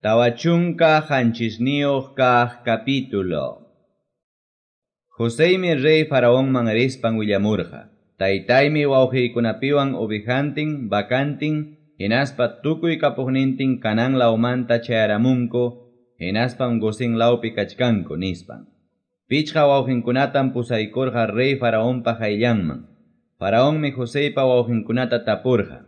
47 kaq capítulo. Joseymi rey Faraonman rispan willamurqa. Taytaymi wawqiykunapiwan ovejantin, vacantin, hinaspa tukuy kapuqnintin Canaán lawmanta chayaramunku, hinaspam Gosén lawpi kachkanku, nispan. Pichqa wawqinkunatam pusaykurqa rey Faraonpa qayllanman. Faraonmi Joseypa wawqinkunata tapurqa.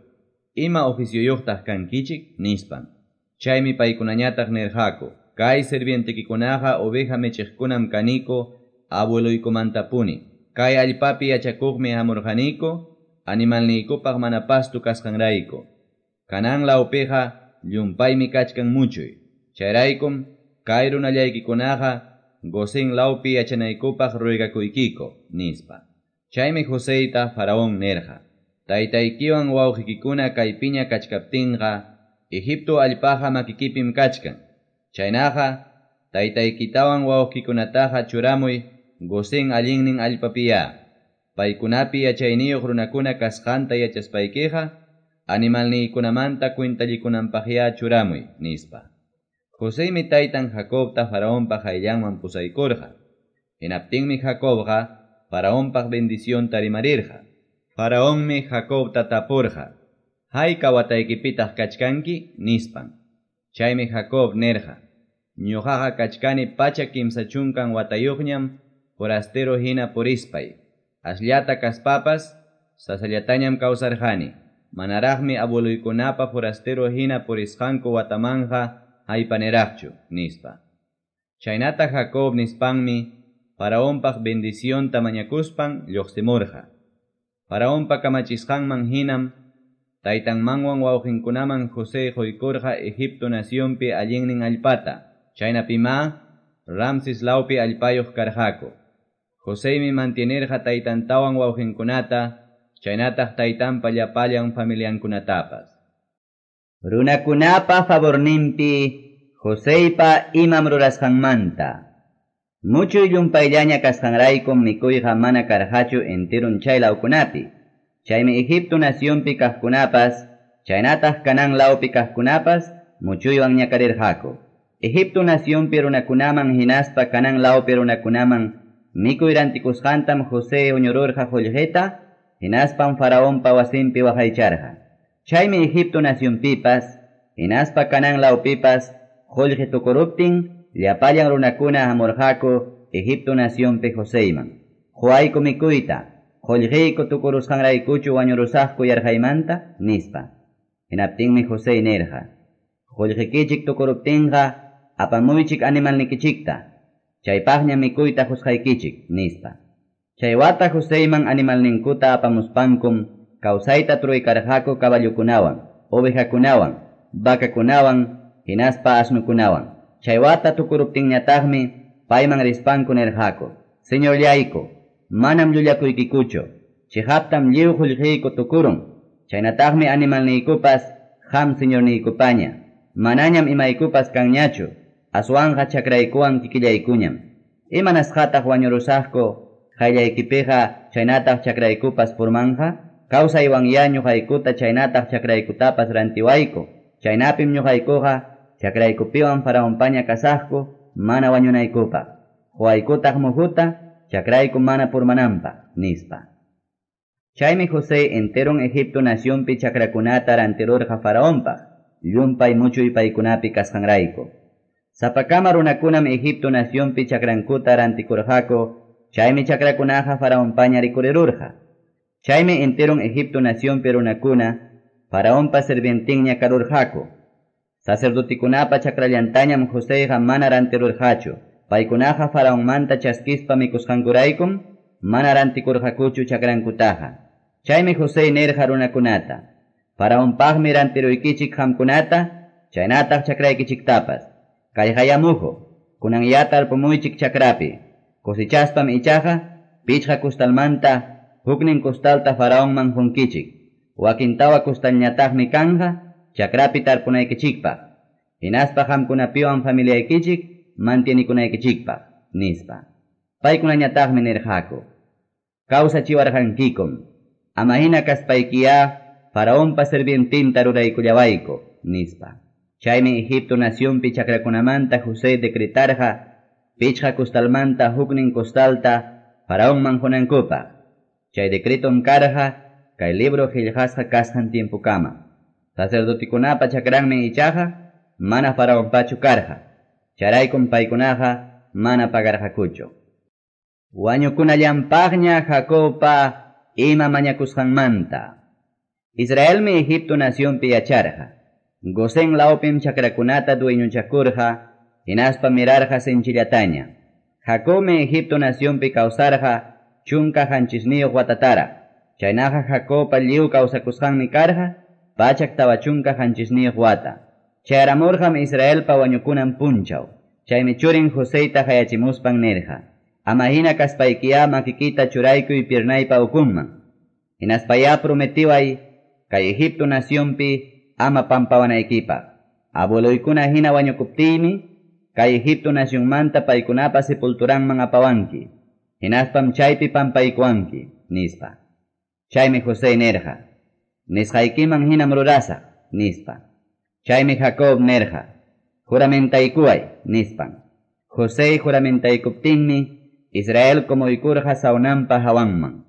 Ima oficioyuqtaq kankichik, nispan. Chaymi paykunañataq nirqaku, kay sirvientekikunaqa oveja michiqkunam kaniku, abueloykumantapuni. Kay allpapi yachakuqmi hamurqaniku, animalniykupaq mana pastu kasqanrayku. Canaán lawpiqa llumpaymi kachkan muchuy. Chayraykum kay runallaykikunaqa Gosén lawpi yachanaykupaq ruegakuykiku, nispa. Chaymi Joseyta Faraón nirqa, taytaykiwan wawqikikuna kaypiña kachkaptinqa, Egipto allpaqa makikipim kachkan. Chaynaqa, taytaykitawan wawqikunataqa churamuy Gosén allinnin allpapiya. Paykunapi yachayniyuq runakuna kasqanta yachaspaykiqa, animalniykunamanta cuentallikunanpaqya churamuy, nispa. Joseymi taytan Jacobta Faraonpa qayllanman pusaykurqa. Hinaptinmi Jacobqa Faraonpaq bendicionta rimarirqa. Faraonmi Jacobta tapurqa. Hayka wataykipitaq kachkanki, nispan. Chaymi Jacob nirqa. Ñuqaqa kachkani 330 watayuqñam forastero hina purispay. Asllata kaspapas, sasallatañam kawsarqani. Manaraqmi abueluykunapa forastero hina purisqanku watamanja haypaniraqchu, nispa. Chaynata Jacob nispanmi Faraonpaq bendicionta mañakuspan lluqsimurqa. Faraonpa kamachisqanman hinam taytanmanwan wawqinkunaman José quykurqa Egipto nacionpi allinnin allpata. Chaynapima Ramses lawpi allpayuq karqaku. Joseymi mantienirqa taytantawan wawqinkunata, chaynataq taytanpa llapallan familiankunatapas. Runakunapa favorninpi Joseypa imam rurasqanmanta. Muchuy llumpayllaña kasqanraykum mikuyqa mana karqachu enterun chay lawkunapi. Chaymi Egipto nacionpi kaqkunapas, chaynataq Canaán lawpi kaqkunapas muchuywan ñakarirqaku. Egipto nacionpi runakunaman hinaspa Canaán lawpi runakunaman mikuy rantikusqantam José uñururqa qullqita, hinaspam Faraonpa wasinpi waqaycharqa. Chaymi Egipto nacionpipas, hinaspa Canaán lawpipas qullqi tukuruptin, llapallan runakuna hamurqaku Egipto nacionpi Joseyman. Quwayku mikuyta, qullqiyku tukurusqanraykuchu wañurusaqku yarqaymanta, nispa. Hinaptinmi José nirqa, qullqikichik tukuruptinqa apamuychik animalnikichikta, chaypaqña mikuyta qusqaykichik, nispa. Chay wata Joseyman animalninkuta apamuspankum kawsayta truykarqaku caballukunawan, ovejakunawan, vacakunawan, hinaspa asnukunawan. Chay wata tukuruptinñataqmi payman rispanku nirqaku, Señorllayku, manam llullakuykikuchu, chiqaptam lliw qullqiyku tukurun, chaynataqmi animalniykupas qam señorniykupaña, manañam imaykupas kanñachu, aswanqa chakraykuwan kikillaykuñam. Imanasqataq wañurusaqku qayllaykipiqa chaynataq chakraykupas purmanja? Kawsaywanya ñuqaykuta chaynataq chakraykutapas rantiwayku, chaynapim ñuqaykuqa chakraykupiwan Faraonpaña kasaqku mana wañunaykupaq. Quwaykutaq muhuta chakrayku mana purmananpaq, nispa. Chaymi José enteron Egipto nacionpi chakrakunata rantirurqa Faraonpaq, llumpay muchuy paykunapi kasqanrayku. Sapakama runakunam Egipto nacionpi chakrankuta rantikurqaku, chaymi chakrakunaqa Faraonpaña rikurirurqa. Chaymi enteron Egipto nacionpi runakuna Faraonpa sirvientinña karurqaku. Sacerdotikunapa chakrallantañam Joseyqa mana rantirurqachu. Paykunaqa Faraonmanta chaskispa mikusqankuraykum mana rantikurqakuchu chakrankutaqa. Chaymi José nirqa runakunata, Faraonpaqmi rantiruykichik qamkunata, chaynataq chakraykichiktapas. Kayqaya muhu, kunanyata tarpumuychik chakrapi. Cosechaspam ichaqa pichqa kustalmanta huknin kustalta Faraonman qunkichik. Wakin tawa kustalñataqmi kanja chakrapi tarpunaykichikpaq. Hinaspa qamkunapiwan familiaykichik mantienikunaykichikpaq, nispa. Paykunañataqmi nirqaku, kawsachiwarqankikum, ama hina kaspaykiya Faraonpa sirvientinta ruraykullawayku, nispa. Chaymi Egipto nacionpi chakrakunamanta José decretarqa pichqa costalmanta huknin costalta Faraonman qunankupaq. Chay decretom karqa kay libro qillqasqa kasqan tiempokama. Sacerdotekunapa chakranmi ichaqa mana Faraonpachu karqa. Chayraykum paykunaqa mana pagarqakuchu. Wañukunallanpaqña Jacobpa ima mañakusqanmanta. Israelmi Egipto nacionpi yacharqa. Gosén lawpim chakrakunata dueñochakurqa, hinaspa mirarqa sinchillataña. Jacobmi Egipto nacionpi kawsarqa 17 watatara. Chaynaqa Jacobpa lliw kawsakusqanmi karqa 147 wata. Chayaramurqam Israelpa wañukunan punchaw. Chaymi churin Joseyta hayachimuspan nirqa: Ama hina kaspaykiya makikita churaykuy piernaypa ukunman. Hinaspaya prometiway kay Egipto nacionpi ama pampawanaykipaq. Abueloykuna hina wañukuptiymi kay Egipto nacionmanta paykunapa sepulturanman apawanki. Hinaspam chaypi pampaykuwanki, nispa. Chaymi José nirqa: Nisqaykiman hinam rurasaq, nispa. Chaymi Jacob nirqa: Juramentaykuway, nispan. José juramentaykuptinmi Israel kumuykurqa sawnanpa hawanman.